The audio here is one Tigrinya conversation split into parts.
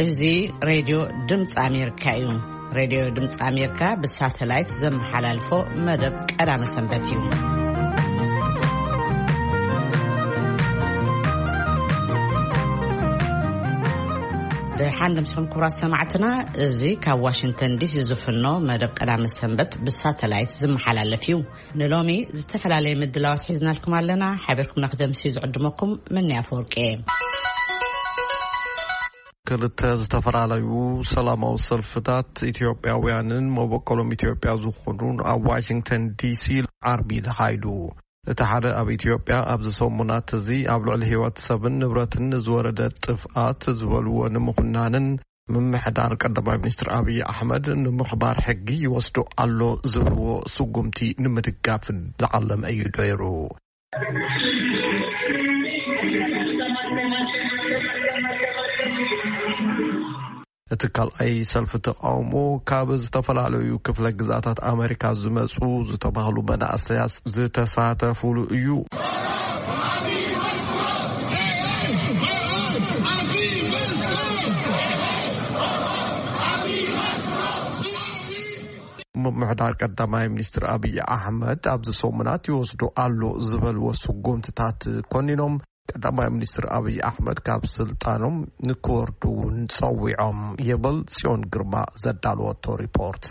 እዚ ሬድዮ ድምፂ ኣሜሪካ እዩ። ሬድዮ ድምፂ ኣሜሪካ ብሳተላይት ዘመሓላልፎ መደብ ቀዳመ ሰንበት እዩ። ደሓን ድምፅኹም ክቡራት ሰማዕትና፣ እዚ ካብ ዋሽንግተን ዲሲ ዝፍኖ መደብ ቀዳመ ሰንበት ብሳተላይት ዝመሓላለፍ እዩ። ንሎሚ ዝተፈላለየ ምድላዋት ሒዝናልኩም ኣለና። ሓቢርኩምና ክደምሲ ዝዕድመኩም ምንያ ኣፈወርቂ። ክልተ ዝተፈላለዩ ሰላማዊ ሰልፍታት ኢትዮጵያውያንን መበቆሎም ኢትዮጵያ ዝኾኑን ኣብ ዋሽንግተን ዲሲ ዓርቢ ተኻይዱ። እቲ ሓደ ኣብ ኢትዮጵያ ኣብዚ ሰሙናት እዚ ኣብ ልዕሊ ህይወት ሰብን ንብረትን ዝወረደ ጥፍኣት ዝበልዎ ንምኹናንን ምምሕዳር ቀዳማይ ሚኒስትር ኣብይ ኣሕመድ ንምኽባር ሕጊ ይወስዶ ኣሎ ዝብልዎ ስጉምቲ ንምድጋፍን ዝዓለመ እዩ ነይሩ። እቲ ካልኣይ ሰልፊ ተቃውሞ ካብ ዝተፈላለዩ ክፍለ ግዛታት ኣመሪካ ዝመፁ ዝተባህሉ መናእሰያት ዝተሳተፉሉ እዩ። ምምሕዳር ቀዳማይ ሚኒስትር ኣብይ ኣሕመድ ኣብዚ ሰሙናት ይወስዶ ኣሎ ዝበልዎ ስጉምትታት ኮኒኖም፣ ቀዳማይ ሚኒስትር ኣብይ ኣሕመድ ካብ ስልጣኖም ንክወርዱ እውን ጸዊዖም ይብል ጽዮን ግርማ ዘዳለወቶ ሪፖርት።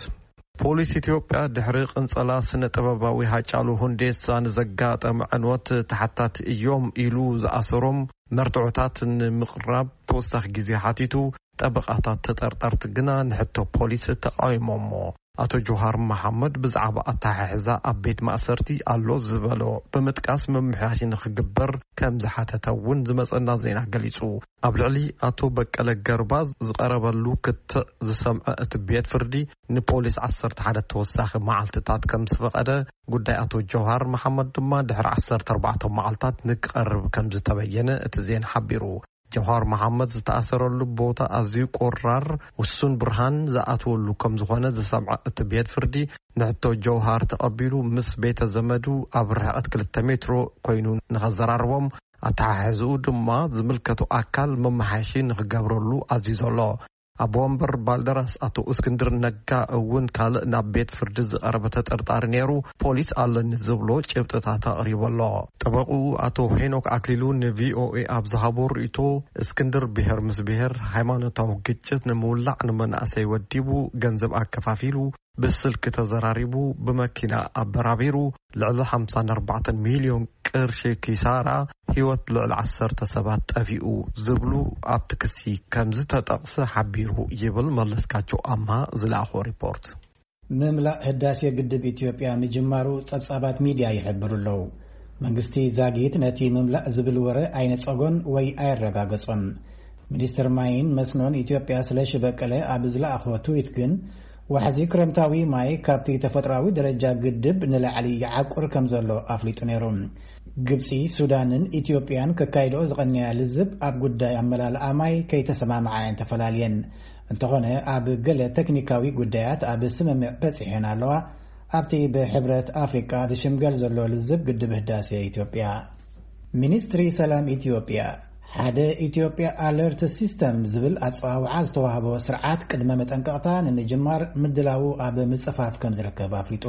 ፖሊስ ኢትዮጵያ ድሕሪ ቅንጸላ ስነ ጥበባዊ ሃጫሉ ሁንዴሳ ንዘጋጠመ ዕንወት ተሓታቲ እዮም ኢሉ ዝኣሰሮም መርትዖታት ንምቕራብ ተወሳኺ ግዜ ሓቲቱ፣ ጠበቓታት ተጠርጠርቲ ግና ንሕቶ ፖሊስ ተቃዊሞሞ። ኣቶ ጆሃር መሓመድ ብዛዕባ ኣተሓሕዛ ኣብ ቤት ማእሰርቲ ኣሎ ዝበሎ ብምጥቃስ ምምሕያሽ ንክግበር ከም ዝሓተተ እውን ዝመጸና ዜና ገሊጹ። ኣብ ልዕሊ ኣቶ በቀለ ገርባ ዝቐረበሉ ክትዕ ዝሰምዐ እቲ ቤት ፍርዲ ንፖሊስ ዓሰርተ ሓደ ተወሳኺ መዓልትታት ከም ዝፈቐደ፣ ጉዳይ ኣቶ ጆሃር መሓመድ ድማ ድሕሪ ዓሰርተ ኣርባዕተ መዓልታት ንክቐርብ ከም ዝተበየነ እቲ ዜና ሓቢሩ። ጀውሃር መሓመድ ዝተኣሰረሉ ቦታ ኣዝዩ ቆራር፣ ውሱን ብርሃን ዝኣትወሉ ከም ዝኾነ ዝሰምዐ እቲ ቤት ፍርዲ፣ ንሕቶ ጀውሃር ተቐቢሉ ምስ ቤተ ዘመዱ ኣብ ርሕቐት ክልተ ሜትሮ ኮይኑ ንኸዘራርቦም፣ ኣተሓሕዝኡ ድማ ዝምልከቶ ኣካል መመሓየሺ ንኽገብረሉ ኣዚዙ ኣሎ። ኣቦ ወንበር ባልደራስ ኣቶ እስክንድር ነጋ እውን ካልእ ናብ ቤት ፍርዲ ዝቐረበ ተጠርጣሪ ነይሩ፣ ፖሊስ ኣለኒ ዝብሎ ጭብጥታት ኣቕሪቡ ኣሎ። ጠበቕኡ ኣቶ ሄኖክ ኣክሊሉ ንቪኦኤ ኣብ ዝሃቦ ርእይቶ፣ እስክንድር ብሄር ምስ ብሄር ሃይማኖታዊ ግጭት ንምውላዕ ንመናእሰይ ወዲቡ፣ ገንዘብ ኣከፋፊሉ፣ ብስልኪ ተዘራሪቡ፣ ብመኪና ኣበራቢሩ፣ ልዕሊ ሓምሳን ኣርባዕተን ሚልዮን ቅርሺ ኪሳራ፣ ህይወት ልዕሊ ዓሰርተ ሰባት ጠፊኡ ዝብሉ ኣብቲ ክሲ ከም ዝተጠቕሰ ሓቢሩ ይብል መለስካቸው ኣምሃ ዝለኣኾ ሪፖርት። ምምላእ ህዳሴ ግድብ ኢትዮጵያ ምጅማሩ ጸብጻባት ሚድያ ይሕብሩ ኣለዉ። መንግስቲ ዛጊት ነቲ ምምላእ ዝብል ወረ ኣይነጸጎን ወይ ኣየረጋገጾን። ሚኒስትር ማይን መስኖን ኢትዮጵያ ስለሺ በቀለ ኣብ ዝለኣኾ ትዊት ግን፣ ዋሕዚ ክረምታዊ ማይ ካብቲ ተፈጥሮኣዊ ደረጃ ግድብ ንላዕሊ ይዓቁር ከም ዘሎ ኣፍሊጡ ነይሩ። ግብጺ፣ ሱዳንን ኢትዮጵያን ከካይድኦ ዝቐነያ ልዝብ ኣብ ጉዳይ ኣመላልኣ ማይ ከይተሰማምዓ እየን ተፈላልየን። እንተኾነ፣ ኣብ ገለ ቴክኒካዊ ጉዳያት ኣብ ስምምዕ በጺሐን ኣለዋ። ኣብቲ ብሕብረት ኣፍሪቃ ዝሽምገል ዘሎ ልዝብ ግድብ ህዳሴ ኢትዮጵያ፣ ሚኒስትሪ ሰላም ኢትዮጵያ፣ ሓደ ኢትዮጵያ ኣለርት ሲስተም ዝብል ኣጸዋውዓ ዝተዋህቦ ስርዓት ቅድመ መጠንቀቕታ ንምጅማር ምድላዉ ኣብ ምጽፋፍ ከም ዝርከብ ኣፍሊጡ።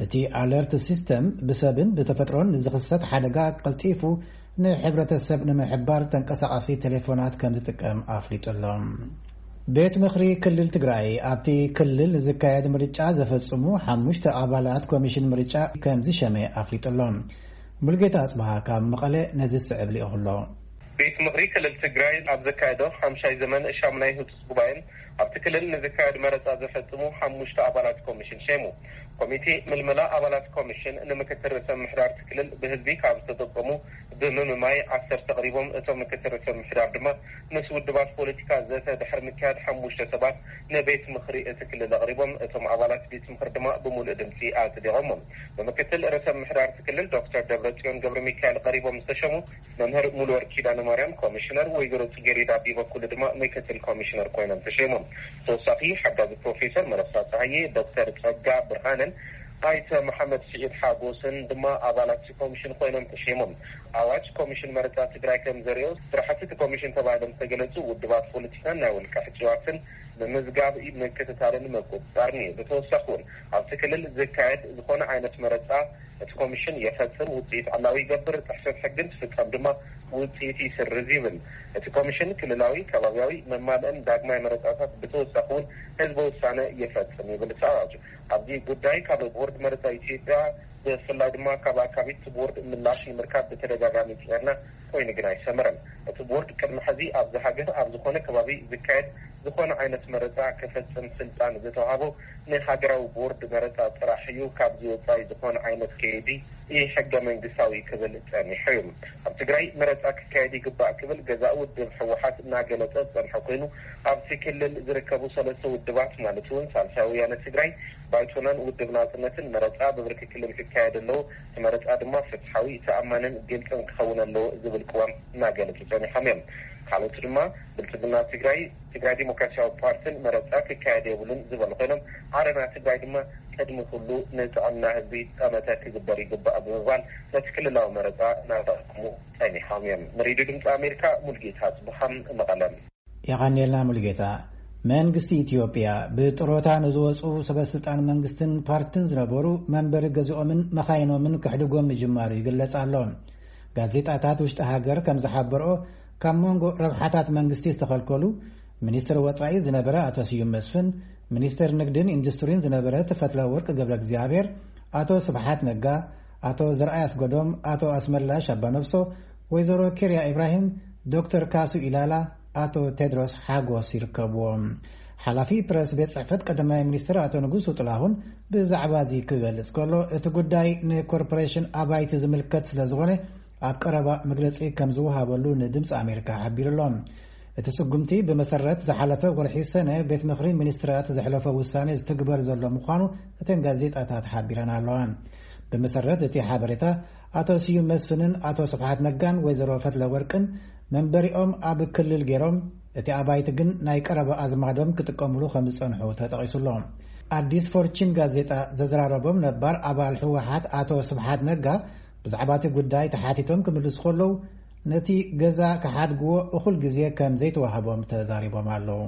እቲ ኣለርት ሲስተም ብሰብን ብተፈጥሮን ንዝኽሰት ሓደጋ ቀልጢፉ ንሕብረተሰብ ንምሕባር ተንቀሳቓሲ ቴሌፎናት ከም ዝጥቀም ኣፍሊጡ ኣሎ። ቤት ምኽሪ ክልል ትግራይ ኣብቲ ክልል ንዝካየድ ምርጫ ዘፈጽሙ ሓሙሽተ ኣባላት ኮሚሽን ምርጫ ከም ዝሸመ ኣፍሊጡ ኣሎ። ሙልጌታ ኣጽብሃ ካብ መቐለ ነዚ ዝስዕብ ልኢኹ ኣሎ። ቤት ምኽሪ ክልል ትግራይ ኣብ ዘካየዶ ሓምሻይ ዘመን ሻምናይ ህጹጽ ጉባኤን ኣብቲ ክልል ንዝካየድ መረጻ ዘፈጽሙ ሓሙሽተ ኣባላት ኮሚሽን ሸይሙ። ኮሚቴ ምልመላ ኣባላት ኮሚሽን ንምክትል ርእሰ ምምሕዳር እቲ ክልል ብህዝቢ ካብ ዝተጠቆሙ ብምምማይ ዓሰርተ ኣቕሪቦም። እቶም ምክትል ርእሰ ምምሕዳር ድማ ምስ ውድባት ፖለቲካ ዘተ ድሕሪ ምክያድ ሓሙሽተ ሰባት ንቤት ምኽሪ እቲ ክልል ኣቕሪቦም። እቶም ኣባላት ቤት ምኽሪ ድማ ብምሉእ ድምፂ ኣጽዲቖሞ። ብምክትል ርእሰ ምምሕዳር እቲ ክልል ዶክተር ደብረጽዮን ገብረ ሚካኤል ቀሪቦም ዝተሸሙ መምህር ሙሉወርቅ ኪዳነ ማርያም ኮሚሽነር፣ ወይዘሮ ጽጌሬዳ ቢበኩሉ ድማ ምክትል ኮሚሽነር ኮይኖም ተሸይሞም። ተወሳኺ ሓጋዚ ፕሮፌሰር መረሳ ጸሃየ፣ ዶክተር ጸጋ ብርሃነን ኣይተ መሓመድ ስዒድ ሓጎስን ድማ ኣባላት እቲ ኮሚሽን ኮይኖም ተሸይሞም። ኣዋጅ ኮሚሽን መረፃ ትግራይ ከም ዘሪኦ፣ ስራሕቲ እቲ ኮሚሽን ተባሂሎም ዝተገለፁ ውድባት ፖለቲካን ናይ ውልቀ ሕፅዋትን ምምዝጋብ፣ ምክትታልን ምቁፅፃርን እዩ። ብተወሳኺ እውን ኣብቲ ክልል ዝካየድ ዝኾነ ዓይነት መረፃ እቲ ኮሚሽን የፈፅም፣ ውፅኢት ዕላዊ ይገብር፣ ጥሕሰት ሕግን ትፍፀም ድማ ውፅኢት ይስርዝ ይብል። እቲ ኮሚሽን ክልላዊ፣ ከባቢያዊ፣ መማልእን ዳግማይ መረፃታት ብተወሳኺ እውን ህዝበ ውሳነ ይፈፅም ይብል እቲ ኣዋጅ። ኣብዚ ጉዳይ ካብ ቦርድ መረፃ ኢትዮጵያ ብፍላይ ድማ ካብ ኣካቢት ቦርድ ምላሽ ንምርካብ ብተደጋጋሚ ፅዒርና ኮይኑ ግን ኣይሰመረን። እቲ ቦርድ ቅድሚ ሕዚ ኣብዚ ሃገር ኣብ ዝኾነ ከባቢ ዝካየድ ዝኾነ ዓይነት መረፃ ክፈፅም ስልጣን ዝተዋሃቦ ንሃገራዊ ቦርድ መረፃ ጥራሕ እዩ። ካብዚ ወፃኢ ዝኾነ ዓይነት ከይዲ ኢ ሕገ መንግስታዊ ክብል ጸኒሑ እዩ። ኣብ ትግራይ መረፃ ክካየድ ይግባእ ክብል ገዛኢ ውድብ ህወሓት እናገለጸ ዝጸንሐ ኮይኑ፣ ኣብቲ ክልል ዝርከቡ ሰለስተ ውድባት ማለት እውን ሳልሳይ ወያነ ትግራይ፣ ባይቶናን ውድብ ናፅነትን መረፃ ብብርኪ ክልል ክካየድ ኣለዎ፣ እቲ መረፃ ድማ ፍትሓዊ፣ ተኣማንን ግልፅን ክኸውን ኣለዎ ዝብል ቅዋም እናገለጹ ጸኒሖም እዮም። ካልኦት ድማ ብልፅግና ትግራይ፣ ትግራይ ዲሞክራሲያዊ ፓርትን መረፃ ክካየድ የብሉን ዝበሉ ኮይኖም፣ ዓረና ትግራይ ድማ ቅድሚ ኩሉ ንጥዕና ህዝቢ ጠመተ ክግበር ይግባእ ብምባል ነቲ ክልላዊ መረፃ እናተቃወሙ ጸኒሖም እዮም። ንሬድዮ ድምፂ ኣሜሪካ ሙልጌታ ጽቡሃም መቐለም። የቐንየልና ሙልጌታ። መንግስቲ ኢትዮጵያ ብጥሮታ ንዝወፁ ሰበስልጣን መንግስትን ፓርትን ዝነበሩ መንበሪ ገዝኦምን መኻይኖምን ክሕድጎም ምጅማሩ ይግለጽ ኣሎ። ጋዜጣታት ውሽጢ ሃገር ከም ዝሓበርኦ፣ ካብ መንጎ ረብሓታት መንግስቲ ዝተኸልከሉ ሚኒስትር ወጻኢ ዝነበረ ኣቶ ስዩም መስፍን፣ ሚኒስትር ንግድን ኢንዱስትሪን ዝነበረ ተፈትለ ወርቅ ገብረ እግዚኣብሔር፣ ኣቶ ስብሓት ነጋ፣ ኣቶ ዘርኣይ ኣስገዶም፣ ኣቶ ኣስመላሽ ኣባነብሶ፣ ወይዘሮ ኬርያ ኢብራሂም፣ ዶክተር ካሱ ኢላላ፣ ኣቶ ቴድሮስ ሓጎስ ይርከብዎም። ሓላፊ ፕረስ ቤት ጽሕፈት ቀዳማይ ሚኒስትር ኣቶ ንጉሱ ጥላሁን ብዛዕባ እዚ ክገልጽ ከሎ፣ እቲ ጉዳይ ንኮርፖሬሽን ኣባይቲ ዝምልከት ስለ ዝኾነ ኣብ ቀረባ መግለጺ ከም ዝወሃበሉ ንድምፂ ኣሜሪካ ሓቢሩ ኣሎ። እቲ ስጉምቲ ብመሰረት ዝሓለፈ ወርሒ ሰነ ቤት ምኽሪ ሚኒስትራት ዘሕለፎ ውሳኔ ዝትግበር ዘሎ ምዃኑ እተን ጋዜጣታት ሓቢረን ኣለዋ። ብመሰረት እቲ ሓበሬታ፣ ኣቶ ስዩም መስፍንን ኣቶ ስብሓት ነጋን ወይዘሮ ፈትለ ወርቅን መንበሪኦም ኣብ ክልል ገይሮም፣ እቲ ኣባይቲ ግን ናይ ቀረባ ኣዝማዶም ክጥቀምሉ ከም ዝጸንሑ ተጠቒሱ ኣሎ። ኣዲስ ፎርችን ጋዜጣ ዘዘራረቦም ነባር ኣባል ህወሓት ኣቶ ስብሓት ነጋ ብዛዕባ እቲ ጉዳይ ተሓቲቶም ክምልሱ ከለዉ፣ ነቲ ገዛ ክሓድግዎ እኹል ግዜ ከም ዘይተዋህቦም ተዛሪቦም ኣለዉ።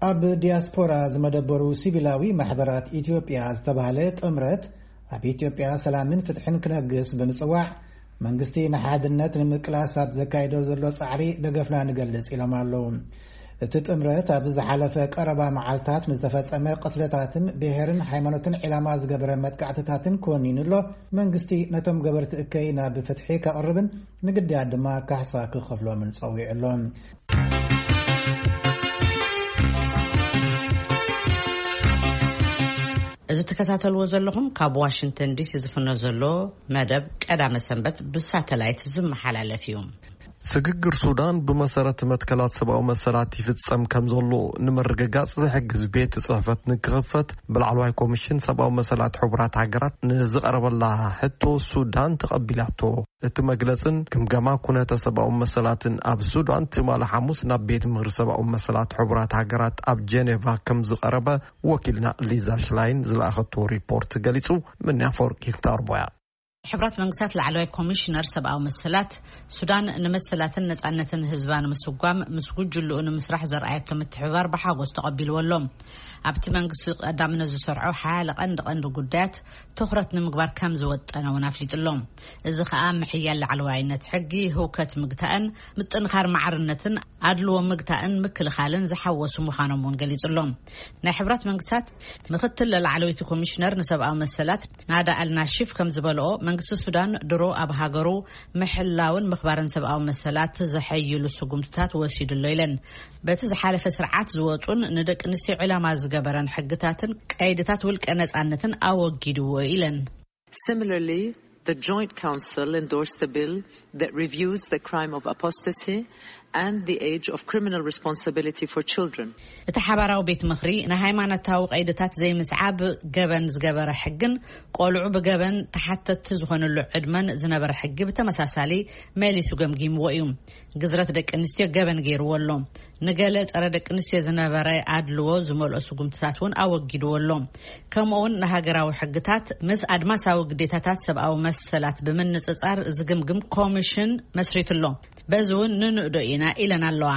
ኣብ ዲያስፖራ ዝመደበሩ ሲቪላዊ ማሕበራት ኢትዮጵያ ዝተባህለ ጥምረት፣ ኣብ ኢትዮጵያ ሰላምን ፍትሕን ክነግስ ብምጽዋዕ፣ መንግስቲ ንሓድነት ንምቅላስ ኣብ ዘካይዶ ዘሎ ጻዕሪ ደገፍና ንገልጽ ኢሎም ኣለዉ። እቲ ጥምረት ኣብዚ ዝሓለፈ ቀረባ መዓልታት ንዝተፈጸመ ቅትለታትን ብሄርን ሃይማኖትን ዒላማ ዝገበረ መጥቃዕትታትን ኮኒኑ ኣሎ። መንግስቲ ነቶም ገበርቲ እከይ ናብ ፍትሒ ከቕርብን ንግዳያት ድማ ካሕሳ ክኸፍሎምን ጸዊዑ ኣሎ። እዚ ትከታተልዎ ዘለኹም ካብ ዋሽንግተን ዲሲ ዝፍኖ ዘሎ መደብ ቀዳመ ሰንበት ብሳተላይት ዝመሓላለፍ እዩ። ስግግር ሱዳን ብመሰረት መትከላት ሰብኣዊ መሰላት ይፍጸም ከም ዘሎ ንምርግጋጽ ዝሕግዝ ቤት ጽሕፈት ንክኽፈት ብላዕለዋይ ኮሚሽን ሰብኣዊ መሰላት ሕቡራት ሃገራት ንዝቐረበላ ሕቶ ሱዳን ተቐቢላቶ። እቲ መግለጽን ግምገማ ኩነተ ሰብኣዊ መሰላትን ኣብ ሱዳን ትማሊ ሓሙስ ናብ ቤት ምኽሪ ሰብኣዊ መሰላት ሕቡራት ሃገራት ኣብ ጀኔቫ ከም ዝቐረበ ወኪልና ሊዛ ሽላይን ዝለኣኸቶ ሪፖርት ገሊጹ። ምንያ ኣፈወርቂ ክታርቦያ። ሕብራት መንግስታት ላዕለዋይ ኮሚሽነር ሰብኣዊ መሰላት ሱዳን ንመሰላትን ነጻነትን ህዝባ ንምስጓም ምስ ጉጅልኡ ንምስራሕ ዘርኣየቶ ምትሕብባር ብሓጎስ ተቐቢልዎ ኣሎ። ኣብቲ መንግስቲ ቀዳምነት ዝሰርዖ ሓያለ ቀንዲ ቀንዲ ጉዳያት ትኹረት ንምግባር ከም ዝወጠነ እውን ኣፍሊጡ ኣሎ። እዚ ከኣ ምሕያል ላዕለዋይነት ሕጊ፣ ህውከት ምግታእን ምጥንኻር ማዕርነትን ኣድልዎ ምግታእን ምክልኻልን ዝሓወሱ ምዃኖም እውን ገሊጹ ኣሎ። ናይ ሕብራት መንግስታት ምክትል ላዕለወይቲ ኮሚሽነር ንሰብኣዊ መሰላት ናዳ ኣልናሺፍ ከም ዝበልኦ፣ መንግስቲ ሱዳን ድሮ ኣብ ሃገሩ ምሕላውን ምኽባርን ሰብኣዊ መሰላት ዘሐይሉ ስጉምትታት ወሲዱ ኣሎ ኢለን። በቲ ዝሓለፈ ስርዓት ዝወጹን ንደቂ ኣንስትዮ ዕላማ ዝገበረን ሕግታትን ቀይድታት ውልቀ ነጻነትን ኣወጊድዎ ኢለን። Similarly, the Joint Council endorsed the bill that reviews the crime of apostasy and the age of criminal responsibility for children. እቲ ሓባራዊ ቤት ምኽሪ ንሃይማኖታዊ ቀይድታት ዘይምስዓብ ገበን ዝገበረ ሕግን ቆልዑ ብገበን ተሓተትቲ ዝኾኑሉ ዕድመን ዝነበረ ሕጊ ብተመሳሳሊ መሊሱ ገምጊምዎ እዩ። ግዝረት ደቂ ኣንስትዮ ገበን ገይርዎ ኣሎ። ንገለ ጸረ ደቂ ኣንስትዮ ዝነበረ ኣድልዎ ዝመልኦ ስጉምትታት እውን ኣወጊድዎ ኣሎ። ከምኡውን ንሃገራዊ ሕግታት ምስ ኣድማሳዊ ግዴታታት ሰብኣዊ መሰላት ብምንጽጻር ዝግምግም ኮሚሽን መስሪቱ ኣሎ። በዚ እውን ንንእዶ ኢና ኢለን ኣለዋ።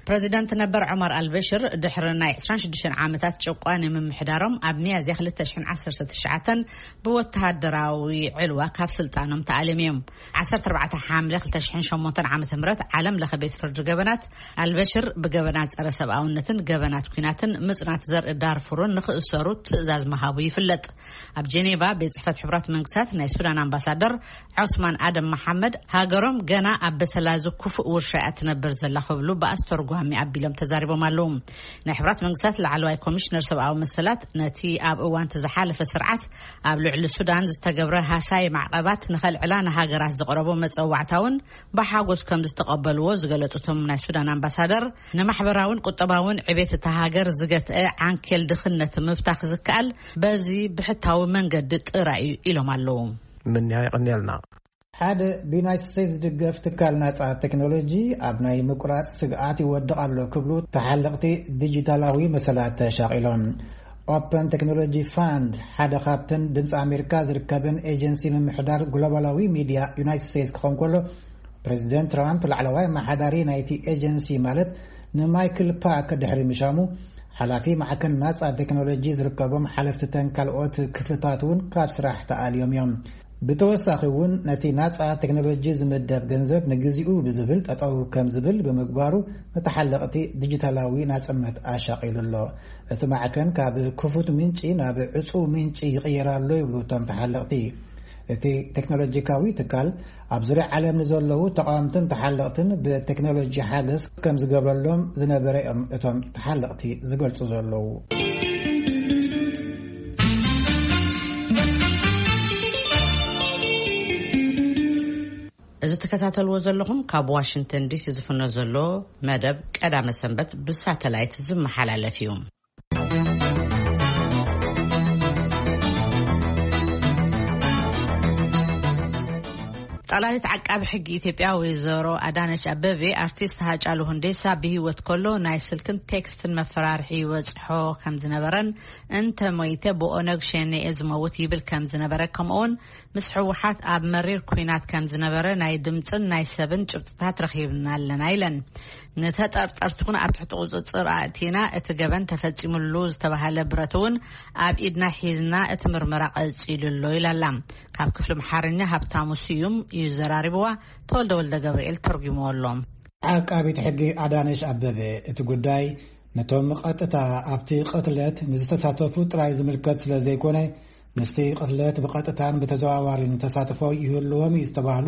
ፕረዚደንት ነበር ዑመር ኣልበሽር ድሕሪ ናይ ዕስራን ሽዱሽተን ዓመታት ጭቋን ምምሕዳሮም ኣብ ሚያዝያ ክልተ ሽሕን ዓሰርተ ትሽዓተን ብወተሃደራዊ ዕልዋ ካብ ስልጣኖም ተኣልዮም እዮም። ዓሰርተ ኣርባዕተ ሓምለ ክልተ ሽሕን ሸሞንተን ዓመተ ምህረት ዓለም ለኸ ቤት ፍርዲ ገበናት ኣልበሽር ብገበናት ጸረ ሰብኣውነትን ገበናት ኲናትን ምጽናት ዘርኢ ዳርፉርን ንኽእሰሩ ትእዛዝ ምሃቡ ይፍለጥ። ኣብ ጀኔቫ ቤት ጽሕፈት ሕቡራት መንግስታት ናይ ሱዳን ኣምባሳደር ዑስማን ኣደም መሓመድ፣ ሃገሮም ገና ኣብ በሰላ እዚ ክፉእ ውርሻ እያ ትነብር ዘላ ክብሉ ብኣስተርጓሚ ኣቢሎም ተዛሪቦም ኣለዉ። ናይ ሕቡራት መንግስታት ላዕለዋይ ኮሚሽነር ሰብኣዊ መሰላት ነቲ ኣብ እዋን እቲ ዝሓለፈ ስርዓት ኣብ ልዕሊ ሱዳን ዝተገብረ ሃሳይ ማዕቐባት ንኸልዕላ ንሃገራት ዝቐረቦ መጸዋዕታ እውን ብሓጎስ ከም ዝተቐበልዎ ዝገለጹ እቶም ናይ ሱዳን ኣምባሳደር፣ ንማሕበራውን ቁጠባውን ዕቤት እታ ሃገር ዝገትአ ዓንኬል ድኽነት ምብታኽ ዝከኣል በዚ ብሕታዊ መንገዲ ጥራይ እዩ ኢሎም ኣለዉ። ምንያ የቐንየልና። ሓደ ብዩናይትድ ስቴትስ ዝድገፍ ትካል ናጻ ቴክኖሎጂ ኣብ ናይ ምቁራጽ ስግኣት ይወድቕ ኣሎ ክብሉ ተሓለቕቲ ዲጂታላዊ መሰላት ተሻቒሎም። ኦፐን ቴክኖሎጂ ፋንድ ሓደ ካብተን ድምፂ ኣሜሪካ ዝርከበን ኤጀንሲ ምምሕዳር ግሎባላዊ ሚድያ ዩናይትድ ስቴትስ ክኸውን ከሎ፣ ፕሬዚደንት ትራምፕ ላዕለዋይ ኣመሓዳሪ ናይቲ ኤጀንሲ ማለት ንማይክል ፓክ ድሕሪ ምሻሙ፣ ሓላፊ ማዕከን ናጻ ቴክኖሎጂ ዝርከቦም ሓለፍትተን ካልኦት ክፍልታት እውን ካብ ስራሕ ተኣልዮም እዮም። ብተወሳኺ እውን ነቲ ናጻ ቴክኖሎጂ ዝምደብ ገንዘብ ንግዚኡ ብዝብል ጠጠው ከም ዝብል ብምግባሩ፣ ንተሓለቕቲ ዲጂታላዊ ናጽነት ኣሻቒሉ ኣሎ። እቲ ማዕከን ካብ ክፉት ምንጪ ናብ ዕጹው ምንጪ ይቕየር ኣሎ ይብሉ እቶም ተሓለቕቲ። እቲ ቴክኖሎጂካዊ ትካል ኣብ ዙርያ ዓለም ንዘለዉ ተቓወምትን ተሓለቕትን ብቴክኖሎጂ ሓገዝ ከም ዝገብረሎም ዝነበረ እዮም እቶም ተሓለቕቲ ዝገልጹ ዘለዉ። እዚ ትከታተልዎ ዘለኹም ካብ ዋሽንግተን ዲሲ ዝፍኖ ዘሎ መደብ ቀዳመ ሰንበት ብሳተላይት ዝመሓላለፍ እዩ። ጠቕላሊት ዓቃቢ ሕጊ ኢትዮጵያ ወይዘሮ ኣዳነች ኣበቤ፣ ኣርቲስት ሃጫሉ ሁንዴሳ ብህይወት ከሎ ናይ ስልክን ቴክስትን መፈራርሒ ይበጽሖ ከም ዝነበረን፣ እንተ ሞይተ ብኦነግ ሸኔ እየ ዝመውት ይብል ከም ዝነበረ፣ ከምኡውን ምስ ህወሓት ኣብ መሪር ኲናት ከም ዝነበረ ናይ ድምጽን ናይ ሰብን ጭብጥታት ረኺብና ኣለና ኢለን። ንተጠርጠርቲ እውን ኣብ ትሕቲ ቁጽጽር ኣእቲና፣ እቲ ገበን ተፈጺሙሉ ዝተባህለ ብረት እውን ኣብ ኢድና ሒዝና እቲ ምርመራ ቀጺሉ ኣሎ ኢላ ኣላ። ካብ ክፍሊ ኣምሓርኛ ሃብታሙ ስዩም እዩ ዘራሪብዋ፣ ተወልደ ወልደ ገብርኤል ተርጉምዎ ኣሎ። ዓቃቢት ሕጊ ኣዳነሽ ኣበበ፣ እቲ ጉዳይ ነቶም ቀጥታ ኣብቲ ቅትለት ንዝተሳተፉ ጥራይ ዝምልከት ስለ ዘይኮነ፣ ምስቲ ቅትለት ብቐጥታን ብተዘዋዋሪን ተሳትፎ ይህልዎም እዩ ዝተባህሉ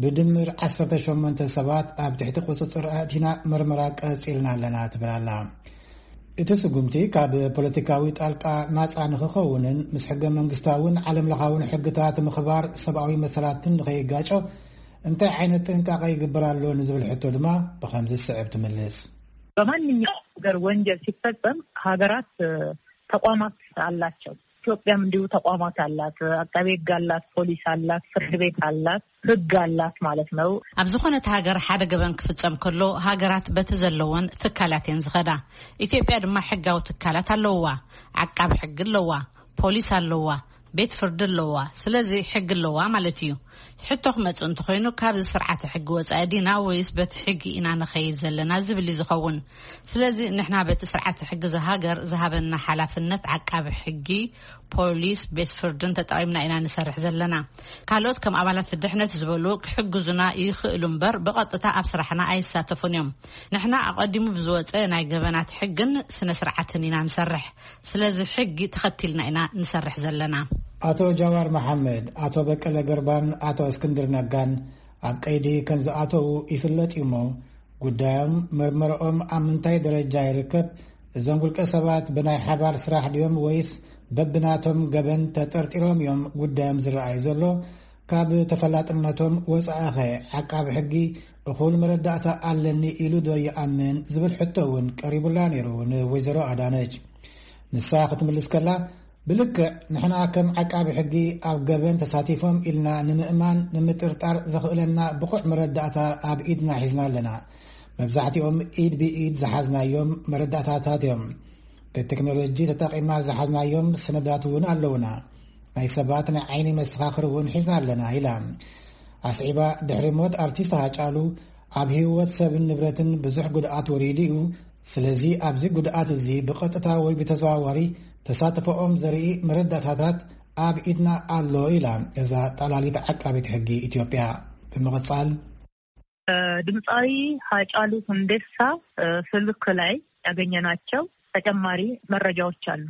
ብድምር ዓሰርተ ሸሞንተ ሰባት ኣብ ትሕቲ ቁጽጽር ኣእቲና መርመራ ቀጺልና ኣለና ትብል ኣላ። እቲ ስጉምቲ ካብ ፖለቲካዊ ጣልቃ ናጻ ንኽኸውንን ምስ ሕገ መንግስታውን ዓለም ለኻውን ሕግታት ምኽባር ሰብኣዊ መሰላትን ንኸይጋጮ እንታይ ዓይነት ጥንቃቐ ይግበር ኣሎ ንዝብል ሕቶ ድማ ብኸምዚ ዝስዕብ ትምልስ። በማንኛውም ነገር ወንጀል ሲፈጸም ሀገራት፣ እ፣ ተቋማት አላቸው። ኢትዮጵያም እንዲሁ ተቋማት አላት። አቃቤ ሕግ አላት፣ ፖሊስ አላት፣ ፍርድ ቤት አላት፣ ሕግ አላት ማለት ነው። ኣብ ዝኾነት ሃገር ሓደ ገበን ክፍጸም ከሎ ሃገራት በቲ ዘለወን ትካላት እየን ዝኸዳ። ኢትዮጵያ ድማ ሕጋዊ ትካላት ኣለውዋ። ዓቃቢ ሕጊ ኣለዋ፣ ፖሊስ ኣለዋ፣ ቤት ፍርዲ ኣለዋ። ስለዚ ሕጊ ኣለዋ ማለት እዩ። ሕቶ ክመጽእ እንተኾይኑ፣ ካብዚ ስርዓተ ሕጊ ወጻኢ ዲና ወይስ በቲ ሕጊ ኢና ንኸይድ ዘለና ዝብል እዩ ዝኸውን። ስለዚ ንሕና በቲ ስርዓተ ሕጊ እዛ ሃገር ዝሃበና ሓላፍነት ዓቃቢ ሕጊ፣ ፖሊስ፣ ቤት ፍርድን ተጠቒምና ኢና ንሰርሕ ዘለና። ካልኦት ከም ኣባላት ድሕነት ዝበሉ ክሕግዙና ይኽእሉ እምበር ብቐጥታ ኣብ ስራሕና ኣይሳተፉን እዮም። ንሕና ኣቐዲሙ ብዝወጸ ናይ ገበናት ሕግን ስነ ስርዓትን ኢና ንሰርሕ። ስለዚ ሕጊ ተኸቲልና ኢና ንሰርሕ ዘለና። ኣቶ ጃዋር መሓመድ፣ ኣቶ በቀለ ገርባን ኣቶ እስክንድር ነጋን ኣብ ቀይዲ ከም ዝኣተዉ ይፍለጥ እዩ እሞ፣ ጉዳዮም መርመረኦም ኣብ ምንታይ ደረጃ ይርከብ? እዞም ውልቀ ሰባት ብናይ ሓባር ስራሕ ድዮም ወይስ በብናቶም ገበን ተጠርጢሮም እዮም ጉዳዮም ዝረኣይ ዘሎ? ካብ ተፈላጥነቶም ወጻኢኸ ዓቃቢ ሕጊ እኹል መረዳእታ ኣለኒ ኢሉ ዶ ይኣምን ዝብል ሕቶ እውን ቀሪቡላ ነይሩ ንወይዘሮ ኣዳነች። ንሳ ክትምልስ ከላ፣ ብልክዕ ንሕና ከም ዓቃቢ ሕጊ ኣብ ገበን ተሳቲፎም ኢልና ንምእማን ንምጥርጣር ዘኽእለና ብቑዕ መረዳእታ ኣብ ኢድና ሒዝና ኣለና። መብዛሕትኦም ኢድ ብኢድ ዝሓዝናዮም መረዳእታታት እዮም። ብቴክኖሎጂ ተጠቒምና ዝሓዝናዮም ሰነዳት እውን ኣለውና። ናይ ሰባት ናይ ዓይኒ መሰኻኽር እውን ሒዝና ኣለና ኢላ። ኣስዒባ፣ ድሕሪ ሞት ኣርቲስት ሃጫሉ ኣብ ህይወት ሰብን ንብረትን ብዙሕ ጉድኣት ወሪዱ እዩ። ስለዚ ኣብዚ ጉድኣት እዚ ብቐጥታ ወይ ብተዘዋዋሪ ተሳትፎኦም ዘርኢ መረዳእታታት ኣብ ኢድና ኣሎ ኢላ እዛ ጠቕላሊት ዓቃቢት ሕጊ ኢትዮጵያ። ብምቕጻል፣ ድምፃዊ ሃጫሉ ሁንዴሳ ስልክ ላይ ያገኘናቸው ተጨማሪ መረጃዎች አሉ።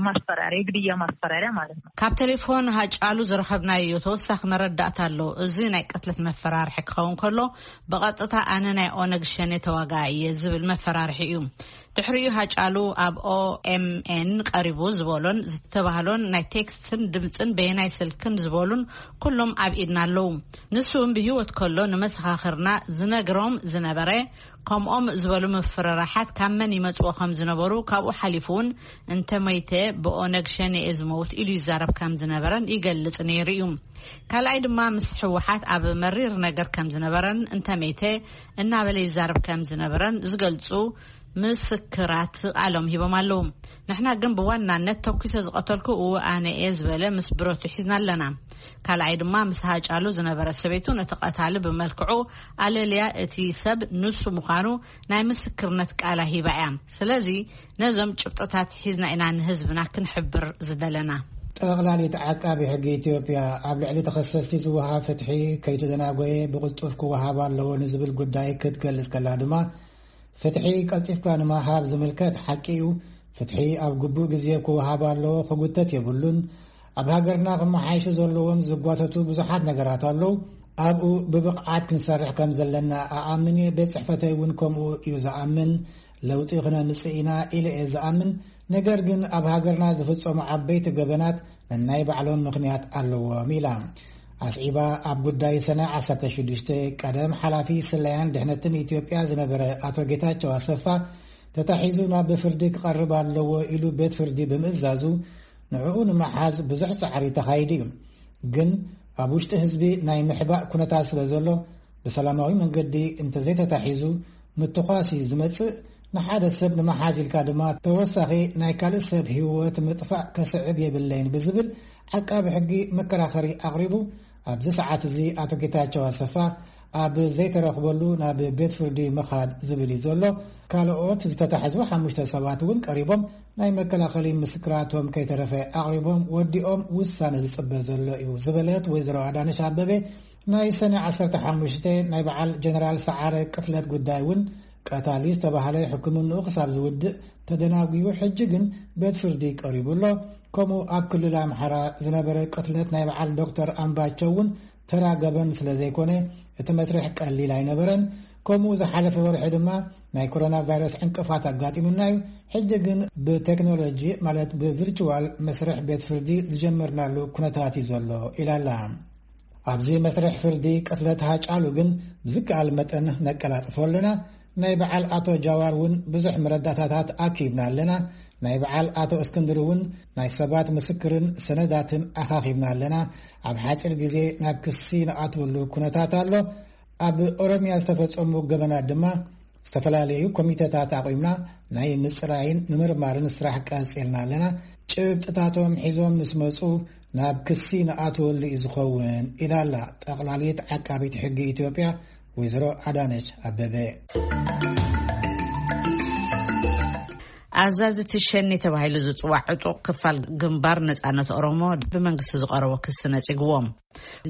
ማስፈራሪያ፣ የግድያ ማስፈራሪያ ማለት ነው። ካብ ቴሌፎን ሃጫሉ ዝረኸብናዮ ተወሳኺ መረዳእታ ኣሎ። እዚ ናይ ቅትለት መፈራርሒ ክኸውን ከሎ፣ ብቐጥታ ኣነ ናይ ኦነግ ሸኔ ተዋጋኢ እየ ዝብል መፈራርሒ እዩ። ድሕሪኡ ሃጫሉ ኣብ ኦኤምኤን ቀሪቡ ዝበሎን ዝተባህሎን ናይ ቴክስትን ድምፅን በየናይ ስልክን ዝበሉን ኩሎም ኣብ ኢድና ኣለዉ። ንሱ እውን ብህይወት ከሎ ንመሰኻኽርና ዝነግሮም ዝነበረ፣ ከምኦም ዝበሉ ምፍርራሓት ካብ መን ይመጽዎ ከም ዝነበሩ፣ ካብኡ ሓሊፉ እውን እንተ መይተ ብኦነግ ሸኔ እየ ዝመውት ኢሉ ይዛረብ ከም ዝነበረን ይገልጽ ነይሩ እዩ። ካልኣይ ድማ ምስ ህወሓት ኣብ መሪር ነገር ከም ዝነበረን እንተ መይተ እናበለ ይዛረብ ከም ዝነበረን ዝገልጹ ምስክራት ቃሎም ሂቦም ኣለዉ። ንሕና ግን ብዋናነት ተኩሰ ዝቐተልኩ እው ኣነ እየ ዝበለ ምስ ብረቱ ሒዝና ኣለና። ካልኣይ ድማ ምስ ሃጫሉ ዝነበረ ሰበይቱ ነቲ ቀታሊ ብመልክዑ ኣለልያ፣ እቲ ሰብ ንሱ ምዃኑ ናይ ምስክርነት ቃላ ሂባ እያ። ስለዚ ነዞም ጭብጥታት ሒዝና ኢና ንህዝብና ክንሕብር ዝደለና። ጠቕላሊት ዓቃቢ ሕጊ ኢትዮጵያ ኣብ ልዕሊ ተኸሰስቲ ዝወሃብ ፍትሒ ከይተደናጎየ ብቕልጡፍ ክወሃብ ኣለዎ ንዝብል ጉዳይ ክትገልጽ ከላ ድማ፣ ፍትሒ ቀልጢፍካ ንምሃብ ዝምልከት ሓቂ እዩ። ፍትሒ ኣብ ግቡእ ግዜ ክወሃብ ኣለዎ፣ ክጉተት የብሉን። ኣብ ሃገርና ክመሓየሹ ዘለዎም ዝጓተቱ ብዙሓት ነገራት ኣለዉ። ኣብኡ ብብቕዓት ክንሰርሕ ከም ዘለና ኣኣምን እየ። ቤት ጽሕፈተይ እውን ከምኡ እዩ ዝኣምን። ለውጢ ክነምጽእ ኢና ኢለ እየ ዝኣምን። ነገር ግን ኣብ ሃገርና ዝፍጸሙ ዓበይቲ ገበናት ነናይ ባዕሎም ምኽንያት ኣለዎም ኢላ። ኣስዒባ፣ ኣብ ጉዳይ ሰነ ዓሰርተ ሽዱሽተ ቀደም ሓላፊ ስለያን ድሕነትን ኢትዮጵያ ዝነበረ ኣቶ ጌታቸው ኣሰፋ ተታሒዙ ናብ ፍርዲ ክቐርብ ኣለዎ ኢሉ ቤት ፍርዲ ብምእዛዙ፣ ንዕኡ ንምሓዝ ብዙሕ ጻዕሪ ተኻይዱ እዩ። ግን ኣብ ውሽጢ ህዝቢ ናይ ምሕባእ ኩነታት ስለ ዘሎ፣ ብሰላማዊ መንገዲ እንተዘይተታሒዙ፣ ምትኳስ እዩ ዝመጽእ። ንሓደ ሰብ ንምሓዝ ኢልካ ድማ ተወሳኺ ናይ ካልእ ሰብ ህይወት ምጥፋእ ከስዕብ የብለይን ብዝብል ዓቃቢ ሕጊ መከራኸሪ ኣቕሪቡ። ኣብዚ ሰዓት እዚ ኣቶ ጌታቸው ኣሰፋ ኣብ ዘይተረኽበሉ ናብ ቤት ፍርዲ ምኻድ ዝብል እዩ ዘሎ። ካልኦት ዝተታሕዙ ሓሙሽተ ሰባት እውን ቀሪቦም ናይ መከላኸሊ ምስክራቶም ከይተረፈ ኣቕሪቦም ወዲኦም ውሳነ ዝጽበ ዘሎ እዩ ዝበለት ወይዘሮ ኣዳነሽ ኣበበ፣ ናይ ሰነ ዓሰርተ ሓሙሽተ ናይ በዓል ጀነራል ሰዓረ ቅትለት ጉዳይ እውን ቀታሊ ዝተባህለ ሕክምንኡ ክሳብ ዝውድእ ተደናጒዩ፣ ሕጂ ግን ቤት ፍርዲ ቀሪቡ ኣሎ። ከምኡ ኣብ ክልል ኣምሓራ ዝነበረ ቅትለት ናይ በዓል ዶክተር ኣምባቸው እውን ተራ ገበን ስለ ዘይኮነ፣ እቲ መስርሕ ቀሊል ኣይነበረን። ከምኡ ዝሓለፈ ወርሒ ድማ ናይ ኮሮና ቫይረስ ዕንቅፋት ኣጋጢሙና እዩ። ሕጂ ግን ብቴክኖሎጂ፣ ማለት ብቪርቹዋል መስርሕ ቤት ፍርዲ ዝጀመርናሉ ኩነታት እዩ ዘሎ ኢላ ኣላ። ኣብዚ መስርሕ ፍርዲ ቅትለት ሃጫሉ ግን ብዝከኣል መጠን ነቀላጥፎ ኣለና። ናይ በዓል ኣቶ ጃዋር እውን ብዙሕ መረዳእታታት ኣኪብና ኣለና። ናይ በዓል ኣቶ እስክንድር እውን ናይ ሰባት ምስክርን ሰነዳትን ኣኻኺብና ኣለና። ኣብ ሓፂር ግዜ ናብ ክሲ ንኣትወሉ ኩነታት ኣሎ። ኣብ ኦሮሚያ ዝተፈጸሙ ገበናት ድማ ዝተፈላለዩ ኮሚተታት ኣቑምና ናይ ምጽራይን ምምርማርን ስራሕ ቀጺልና ኣለና። ጭብጥታቶም ሒዞም ምስ መጹ ናብ ክሲ ንኣትወሉ እዩ ዝኸውን ኢላ ኣላ ጠቕላሊት ዓቃቢት ሕጊ ኢትዮጵያ ወይዘሮ ኣዳነች ኣበበ። ኣዛዚ ትሸኒ ተባሂሉ ዝጽዋዕ ዕጡቕ ክፋል ግንባር ነጻነት ኦሮሞ ብመንግስቲ ዝቐረቦ ክሲ ነጺግዎም።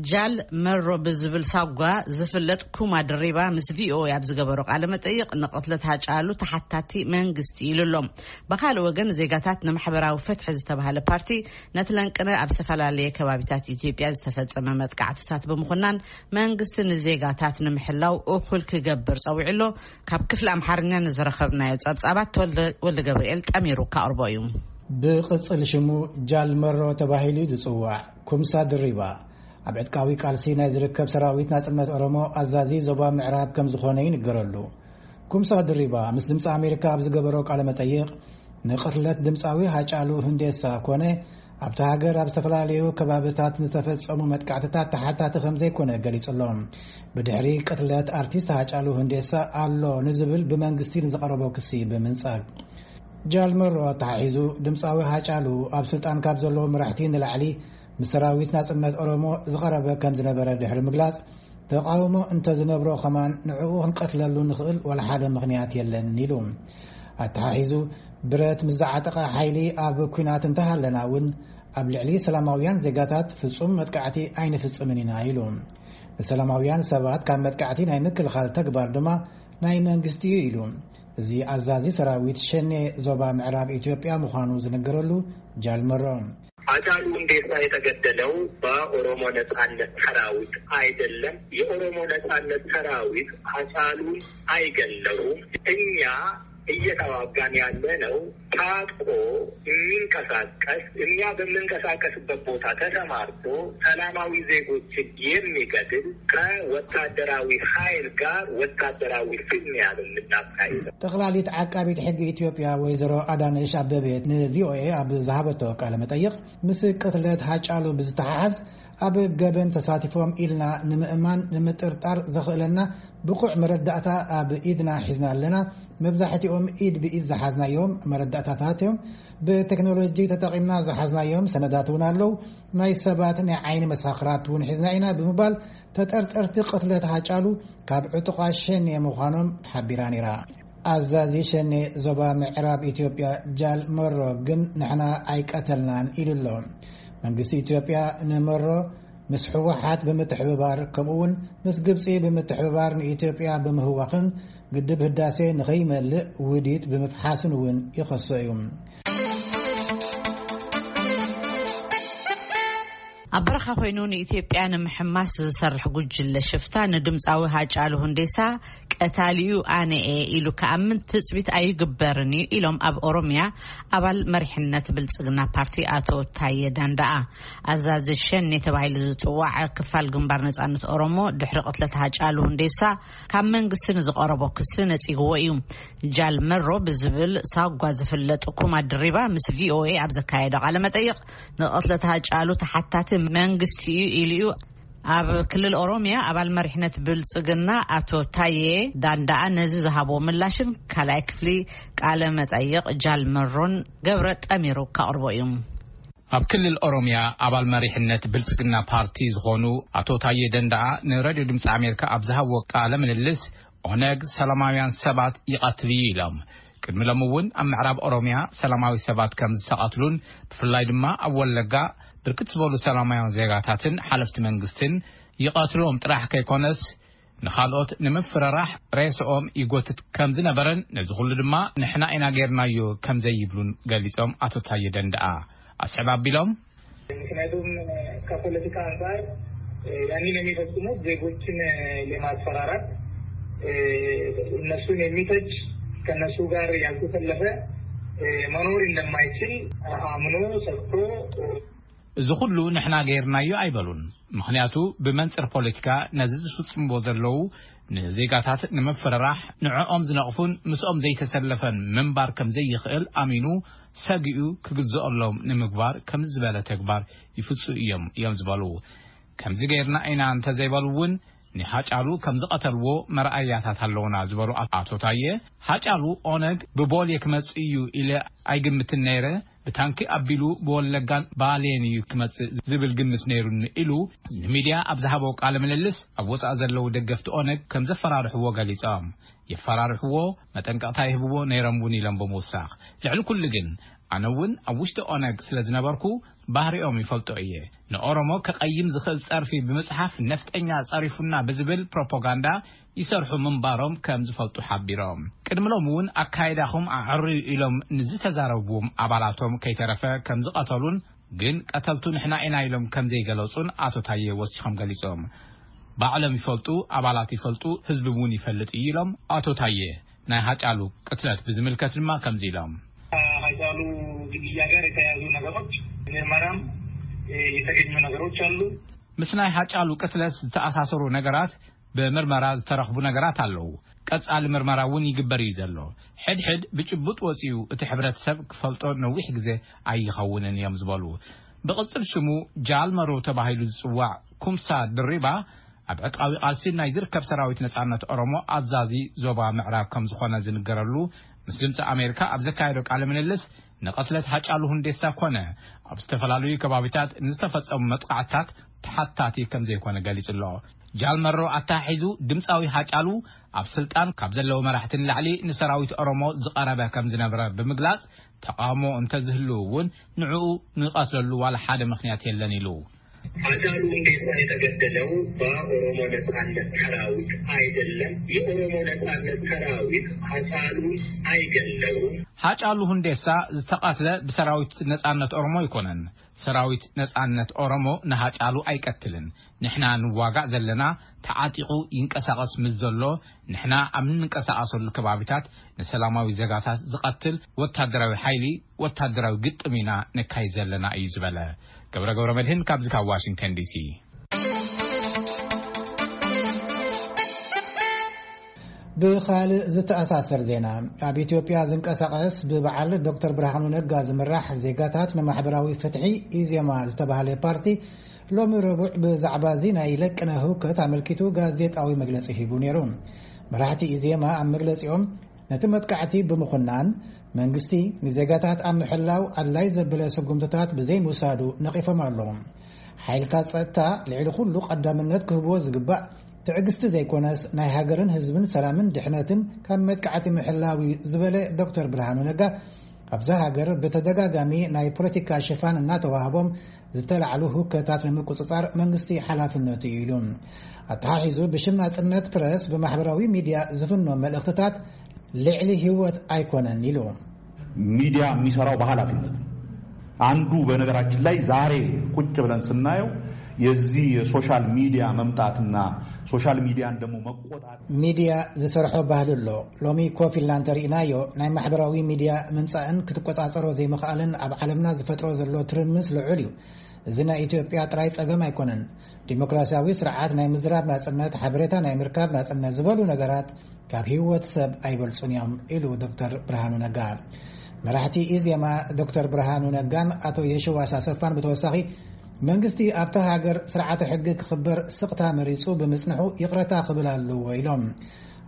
ጃል መሮ ብዝብል ሳጓ ዝፍለጥ ኩማ ድሪባ ምስ ቪኦኤ ኣብ ዝገበሮ ቃለ መጠይቕ፣ ንቕትለት ሃጫሉ ተሓታቲ መንግስቲ ኢሉ ኣሎ። ብኻልእ ወገን፣ ዜጋታት ንማሕበራዊ ፍትሒ ዝተባህለ ፓርቲ፣ ነቲ ለንቅነ ኣብ ዝተፈላለየ ከባቢታት ኢትዮጵያ ዝተፈጸመ መጥቃዕትታት ብምኹናን፣ መንግስቲ ንዜጋታት ንምሕላው እኹል ክገብር ጸዊዑ ኣሎ። ካብ ክፍሊ ኣምሓርኛ ንዝረኸብናዮ ጸብጻባት፣ ተወልደ ወልደ ገብርኤል ጠሚሩ ካቕርቦ እዩ። ብቕጽል ሽሙ ጃል መሮ ተባሂሉ ዝጽዋዕ ኩምሳ ድሪባ፣ ኣብ ዕጥቃዊ ቃልሲ ናይ ዝርከብ ሰራዊት ናጽነት ኦሮሞ ኣዛዚ ዞባ ምዕራብ ከም ዝኾነ ይንገረሉ። ኩምሳ ድሪባ ምስ ድምፂ ኣሜሪካ ኣብ ዝገበሮ ቃለ መጠይቕ፣ ንቕትለት ድምፃዊ ሃጫሉ ሁንዴሳ ኮነ ኣብቲ ሃገር ኣብ ዝተፈላለዩ ከባብታት ንዝተፈጸሙ መጥቃዕትታት ተሓታቲ ከም ዘይኮነ ገሊጹ ኣሎ። ብድሕሪ ቅትለት ኣርቲስት ሃጫሉ ሁንዴሳ ኣሎ ንዝብል ብመንግስቲ ንዝቐረቦ ክሲ ብምንጻግ፣ ጃልመሮ ኣተሓሒዙ ድምፃዊ ሃጫሉ ኣብ ስልጣን ካብ ዘለዉ መራሕቲ ንላዕሊ ምስ ሰራዊት ናጽነት ኦሮሞ ዝቐረበ ከም ዝነበረ ድሕሪ ምግላጽ፣ ተቓውሞ እንተዝነብሮ ከማን ንዕኡ ክንቀትለሉ ንኽእል ዋላ ሓደ ምኽንያት የለን ኢሉ። ኣተሓሒዙ፣ ብረት ምስ ዝዓጠቐ ሓይሊ ኣብ ኲናት እንተሃለና እውን ኣብ ልዕሊ ሰላማውያን ዜጋታት ፍጹም መጥቃዕቲ ኣይንፍጽምን ኢና ኢሉ። ንሰላማውያን ሰባት ካብ መጥቃዕቲ ናይ ምክልኻል ተግባር ድማ ናይ መንግስቲ እዩ ኢሉ። እዚ ኣዛዚ ሰራዊት ሸኔ ዞባ ምዕራብ ኢትዮጵያ ምዃኑ ዝነገረሉ ጃልመሮ፣ ሃጫሉ ሁንዴሳ የተገደለው በኦሮሞ ነጻነት ሰራዊት አይደለም። የኦሮሞ ነጻነት ሰራዊት ሃጫሉን አይገለውም። እኛ እየተዋጋን ያለነው ታጥቆ የሚንቀሳቀስ፣ እኛ በምንቀሳቀስበት ቦታ ተሰማርቶ ሰላማዊ ዜጎችን የሚገድል ከወታደራዊ ኃይል ጋር ወታደራዊ ፍልሚያ ነው የምናካሂደው። ጠቕላሊት ዓቃቢት ሕጊ ኢትዮጵያ ወይዘሮ ኣዳነሽ ኣበቤ ንቪኦኤ ኣብ ዝሃበቶ ቃለ መጠይቕ፣ ምስ ቅትለት ሃጫሉ ብዝተሓሓዝ ኣብ ገበን ተሳቲፎም ኢልና ንምእማን ንምጥርጣር ዘኽእለና ብቑዕ መረዳእታ ኣብ ኢድና ሒዝና ኣለና። መብዛሕትኦም ኢድ ብኢድ ዝሓዝናዮም መረዳእታታት እዮም። ብቴክኖሎጂ ተጠቒምና ዝሓዝናዮም ሰነዳት እውን ኣለዉ። ናይ ሰባት ናይ ዓይኒ መሳኽራት እውን ሒዝና ኢና ብምባል ተጠርጠርቲ ቅትለት ሃጫሉ ካብ ዕጡቓት ሸኔ ምዃኖም ሓቢራ ነይራ። ኣዛዚ ሸኔ ዞባ ምዕራብ ኢትዮጵያ ጃል መሮ ግን ንሕና ኣይቀተልናን ኢሉ ኣሎ። መንግስቲ ኢትዮጵያ ንመሮ ምስ ህወሓት ብምትሕብባር ከምኡ እውን ምስ ግብፂ ብምትሕብባር ንኢትዮጵያ ብምህዋኽን ግድብ ህዳሴ ንኸይመልእ ውዲት ብምፍሓስን እውን ይኸሶ እዩ። ኣብ በረኻ ኮይኑ ንኢትዮጵያ ንምሕማስ ዝሰርሕ ጉጅለ ሽፍታ ንድምፃዊ ሃጫሉ ሁንዴሳ ቀታሊኡ ኣነ እየ ኢሉ ክኣምን ትፅቢት ኣይግበርን እዩ ኢሎም ኣብ ኦሮሚያ ኣባል መሪሕነት ብልፅግና ፓርቲ ኣቶ ታየ ዳንዳኣ። ኣዛዚ ሸኔ ተባሂሉ ዝፅዋዕ ክፋል ግንባር ነፃነት ኦሮሞ ድሕሪ ቅትለት ሃጫሉ ሁንዴሳ ካብ መንግስቲ ንዝቐረቦ ክሲ ነፂግዎ እዩ። ጃል መሮ ብዝብል ሳጓ ዝፍለጥ ኩማ ድሪባ ምስ ቪኦኤ ኣብ ዘካየዶ ቃለ መጠይቕ ንቕትለት ሃጫሉ ተሓታቲ መንግስቲ እዩ ኢሉ እዩ። ኣብ ክልል ኦሮሚያ ኣባል መሪሕነት ብልፅግና ኣቶ ታዬ ዳንዳኣ ነዚ ዝሃቦ ምላሽን ካልኣይ ክፍሊ ቃለ መጠይቕ ጃል መሮን ገብረ ጠሚሩ ከቕርቦ እዩ። ኣብ ክልል ኦሮሚያ ኣባል መሪሕነት ብልፅግና ፓርቲ ዝኾኑ ኣቶ ታዬ ደንዳኣ ንሬድዮ ድምፂ ኣሜሪካ ኣብ ዝሃብዎ ቃለ ምልልስ ኦነግ ሰላማውያን ሰባት ይቐትል እዩ ኢሎም። ቅድሚ ሎም እውን ኣብ ምዕራብ ኦሮሚያ ሰላማዊ ሰባት ከም ዝተቐትሉን ብፍላይ ድማ ኣብ ወለጋ ብርክት ዝበሉ ሰላማውያን ዜጋታትን ሓለፍቲ መንግስትን ይቐትሎም ጥራሕ ከይኮነስ ንኻልኦት ንምፍርራሕ ሬስኦም ይጎትት ከም ዝነበረን ነዚ ኩሉ ድማ ንሕና ኢና ጌርናዮ ከም ዘይብሉን ገሊጾም። ኣቶ ታየ ደንደኣ ኣስዕብ ኣቢሎም ምክንያቱም ከፖለቲካ አንጻር ያንን የሚፈጽሙት ዜጎችን ለማስፈራራት እነሱን የሚፈጅ ከነሱ ጋር ያልተሰለፈ መኖር እንደማይችል አምኖ ሰጥቶ እዚ ኩሉ ንሕና ገይርናዮ ኣይበሉን። ምኽንያቱ ብመንጽር ፖለቲካ ነዚ ዝፍጽምዎ ዘለዉ ንዜጋታት ንምፍርራሕ ንዕኦም ዝነቕፉን ምስኦም ዘይተሰለፈን ምንባር ከም ዘይኽእል ኣሚኑ ሰጊኡ ክግዝኦሎም ንምግባር ከምዚ ዝበለ ተግባር ይፍጽኡ እዮም እዮም ዝበሉ። ከምዚ ገይርና ኢና እንተዘይበሉ እውን ንሃጫሉ ከም ዝቐተልዎ መርኣያታት ኣለውና ዝበሉ ኣቶ ታየ፣ ሃጫሉ ኦነግ ብቦሌ ክመጽእ እዩ ኢለ ኣይግምትን ነይረ፣ ብታንኪ ኣቢሉ ብወለጋን ባሌን እዩ ክመጽእ ዝብል ግምት ነይሩኒ ኢሉ ንሚድያ ኣብ ዝሃቦ ቃለ ምልልስ ኣብ ወጻኢ ዘለዉ ደገፍቲ ኦነግ ከም ዘፈራርሕዎ ገሊጾም። የፈራርሕዎ፣ መጠንቀቕታ ይህብዎ ነይሮም እውን ኢሎም ብምውሳኽ ልዕሊ ኩሉ ግን ኣነ እውን ኣብ ውሽጢ ኦነግ ስለ ዝነበርኩ ባህሪኦም ይፈልጦ እየ። ንኦሮሞ ከቐይም ዝኽእል ጸርፊ ብምጽሓፍ ነፍጠኛ ጸሪፉና ብዝብል ፕሮፓጋንዳ ይሰርሑ ምንባሮም ከም ዝፈልጡ ሓቢሮም። ቅድሚ ሎም እውን ኣካይዳኹም ኣዕርዩ ኢሎም ንዝተዛረብዎም ኣባላቶም ከይተረፈ ከም ዝቐተሉን ግን ቀተልቱ ንሕና ኢና ኢሎም ከም ዘይገለጹን ኣቶ ታየ ወሲኾም ገሊጾም። ባዕሎም ይፈልጡ፣ ኣባላት ይፈልጡ፣ ህዝቢ እውን ይፈልጥ እዩ ኢሎም ኣቶ ታየ። ናይ ሃጫሉ ቅትለት ብዝምልከት ድማ ከምዚ ኢሎም። ሃጫሉ ግድያ ጋር የተያያዙ ነገሮች ምርመራም የተገኙ ነገሮች አሉ። ምስ ናይ ሃጫሉ ቅትለት ዝተኣሳሰሩ ነገራት ብምርመራ ዝተረኽቡ ነገራት ኣለዉ። ቀጻሊ ምርመራ እውን ይግበር እዩ ዘሎ። ሕድሕድ ብጭቡጥ ወጺኡ እቲ ሕብረተሰብ ክፈልጦ ነዊሕ ግዜ ኣይኸውንን እዮም ዝበሉ ብቕጽል ሽሙ ጃል መሮ ተባሂሉ ዝጽዋዕ ኩምሳ ድሪባ፣ ኣብ ዕጥቃዊ ቃልሲ ናይ ዝርከብ ሰራዊት ነጻነት ኦሮሞ ኣዛዚ ዞባ ምዕራብ ከም ዝኾነ ዝንገረሉ፣ ምስ ድምፂ ኣሜሪካ ኣብ ዘካየዶ ቃለ ምልልስ፣ ንቐትለት ሃጫሉ ሁንዴሳ ኮነ ኣብ ዝተፈላለዩ ከባቢታት ንዝተፈጸሙ መጥቃዕትታት ተሓታቲ ከም ዘይኮነ ገሊጹ ኣሎ። ጃል መሮ ኣተሓሒዙ፣ ድምፃዊ ሃጫሉ ኣብ ስልጣን ካብ ዘለዉ መራሕቲ ንላዕሊ ንሰራዊት ኦሮሞ ዝቐረበ ከም ዝነበረ ብምግላጽ፣ ተቃውሞ እንተዝህሉ እውን ንዕኡ ንቐትለሉ ዋላ ሓደ ምኽንያት የለን ኢሉ። ሃጫሉ ሁንዴሳ የተገደለው በኦሮሞ ነጻነት ሰራዊት አይደለም። የኦሮሞ ነጻነት ሰራዊት ሃጫሉን አይገለውም። ሃጫሉ ሁንዴሳ ዝተቐትለ ብሰራዊት ነጻነት ኦሮሞ ኣይኮነን። ሰራዊት ነጻነት ኦሮሞ ንሃጫሉ ኣይቀትልን። ንሕና ንዋጋእ ዘለና ተዓጢቑ ይንቀሳቐስ ምስ ዘሎ፣ ንሕና ኣብ እንንቀሳቐሰሉ ከባቢታት ንሰላማዊ ዜጋታት ዝቐትል ወታደራዊ ሓይሊ፣ ወታደራዊ ግጥም ኢና ነካይድ ዘለና እዩ ዝበለ። ገብረ ገብረ መድህን ካብዚ ካብ ዋሽንግተን ዲሲ። ብኻልእ ዝተኣሳሰር ዜና፣ ኣብ ኢትዮጵያ ዝንቀሳቐስ ብበዓል ዶክተር ብርሃኑ ነጋ ዝምራሕ ዜጋታት ንማሕበራዊ ፍትሒ፣ ኢዜማ፣ ዝተባህለ ፓርቲ፣ ሎሚ ረቡዕ ብዛዕባ እዚ ናይ ለቅነ ህውከት ኣመልኪቱ ጋዜጣዊ መግለጺ ሂቡ ነይሩ። መራሕቲ ኢዜማ ኣብ መግለጺኦም፣ ነቲ መጥቃዕቲ ብምኹናን፣ መንግስቲ ንዜጋታት ኣብ ምሕላው ኣድላይ ዘበለ ስጉምትታት ብዘይምውሳዱ ነቒፎም ኣለዉ። ሓይልታት ጸጥታ ልዕሊ ኩሉ ቀዳምነት ክህብዎ ዝግባእ ትዕግስቲ ዘይኮነስ፣ ናይ ሃገርን ህዝብን ሰላምን ድሕነትን ካብ መጥቃዕቲ ምሕላው እዩ ዝበለ ዶክተር ብርሃኑ ነጋ፣ ኣብዛ ሃገር ብተደጋጋሚ ናይ ፖለቲካ ሽፋን እናተዋህቦም ዝተላዕሉ ህውከታት ንምቁጽጻር መንግስቲ ሓላፍነቱ እዩ ኢሉ። ኣተሓሒዙ ብሽም ናጽነት ፕረስ ብማሕበራዊ ሚድያ ዝፍኖ መልእኽትታት ልዕሊ ህይወት ኣይኮነን ኢሉ። ሚዲያ የሚሰራው በኃላፊነት ነው። አንዱ በነገራችን ላይ ዛሬ ቁጭ ብለን ስናየው የዚህ የሶሻል ሚዲያ መምጣትና ሶሻል ሚዲያን ደግሞ መቆጣጠር ሚድያ ዝሰርሖ ባህሊ ኣሎ። ሎሚ ኮፍ ኢልና እንተርኢናዮ፣ ናይ ማሕበራዊ ሚድያ ምምጻእን ክትቆጻጸሮ ዘይምኽኣልን ኣብ ዓለምና ዝፈጥሮ ዘሎ ትርምስ ልዑል እዩ። እዚ ናይ ኢትዮጵያ ጥራይ ጸገም ኣይኮነን። ዲሞክራሲያዊ ስርዓት ናይ ምዝራብ ናጽነት፣ ሓበሬታ ናይ ምርካብ ናጽነት ዝበሉ ነገራት ካብ ህይወት ሰብ ኣይበልጹን እዮም ኢሉ ዶክተር ብርሃኑ ነጋ። መራሕቲ ኢዜማ ዶክተር ብርሃኑ ነጋን ኣቶ የሽዋስ ኣሰፋን ብተወሳኺ፣ መንግስቲ ኣብታ ሃገር ስርዓተ ሕጊ ክኽበር ስቕታ መሪጹ ብምጽንሑ ይቕረታ ክብል ኣለዎ ኢሎም።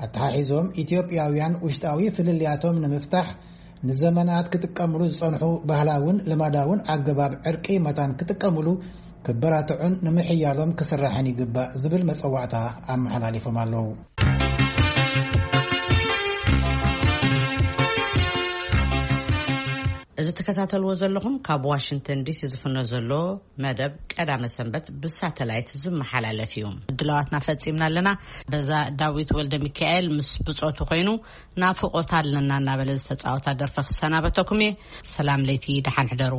ኣተሓሒዞም፣ ኢትዮጵያውያን ውሽጣዊ ፍልልያቶም ንምፍታሕ ንዘመናት ክጥቀምሉ ዝጸንሑ ባህላውን ልማዳውን ኣገባብ ዕርቂ መታን ክጥቀምሉ ክበራትዑን ንምሕያሎም ክስራሕን ይግባእ ዝብል መጸዋዕታ ኣመሓላሊፎም ኣለዉ። እዚ ትከታተልዎ ዘለኹም ካብ ዋሽንግተን ዲሲ ዝፍኖ ዘሎ መደብ ቀዳመ ሰንበት ብሳተላይት ዝመሓላለፍ እዩ። ድላዋትና ፈጺምና ኣለና። በዛ ዳዊት ወልደ ሚካኤል ምስ ብጾቱ ኮይኑ ናፍቆት ኣለና እናበለ ዝተጻወታ ደርፊ ክሰናበተኩም እየ። ሰላም ለይቲ፣ ደሓን ሕደሩ።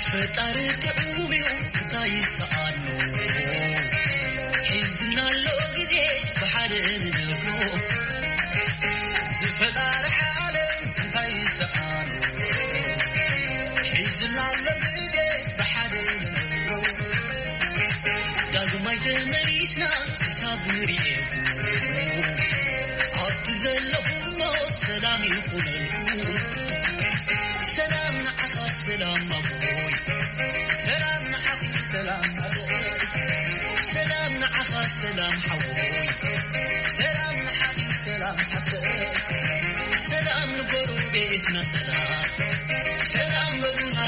ፈጣሪ ጥዑም እዩ፣ እንታይ ይሰኣኖ? ሒዝና ኣሎ ግዜ ብሓደ ንነብሮ። ብፈጣሪ ዓለም እንታይ ይሰኣኖ? ሒዝና ኣሎ ግዜ ብሓደ ንነብሮ። ዳግማይ ተመሊስና ክሳብ ንርእየኩም፣ ኣብቲ ዘለኹሞ ሰላም ይኹነልኩም። ሰላም ንዓኻ ሰላም ኣቦይ፣ ሰላም ንዓኺ ሰላም ኣደይ፣ ሰላም ንዓኻ ሰላም ሓወይ፣ ሰላም ንዓኺ ሰላም ሰላም ንጎረቤትና ሰላም፣ ሰላም በሉና